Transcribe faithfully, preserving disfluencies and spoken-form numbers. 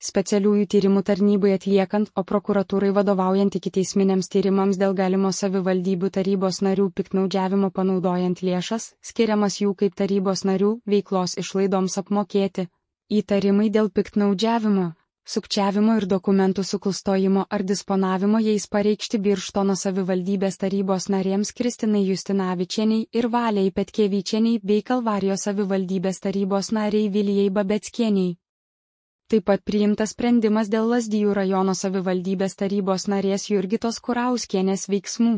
specialiųjų tyrimų tarnybai atliekant, o prokuratūrai vadovaujant ikiteisminiams tyrimams dėl galimo savivaldybių tarybos narių piktnaudžiavimo panaudojant lėšas, skiriamas jų kaip tarybos narių veiklos išlaidoms apmokėti. Įtarimai dėl piktnaudžiavimo, sukčiavimo ir dokumentų suklastojimo ar disponavimo jais pareikšti Birštono savivaldybės tarybos narėms Kristinai Justinavičienei ir Valiai Petkevičienei bei Kalvarijos savivaldybės tarybos nariai Vilijai Babeckienei. Taip pat priimtas sprendimas dėl Lazdijų rajono savivaldybės tarybos narės Jurgitos Kurauskienės veiksmų.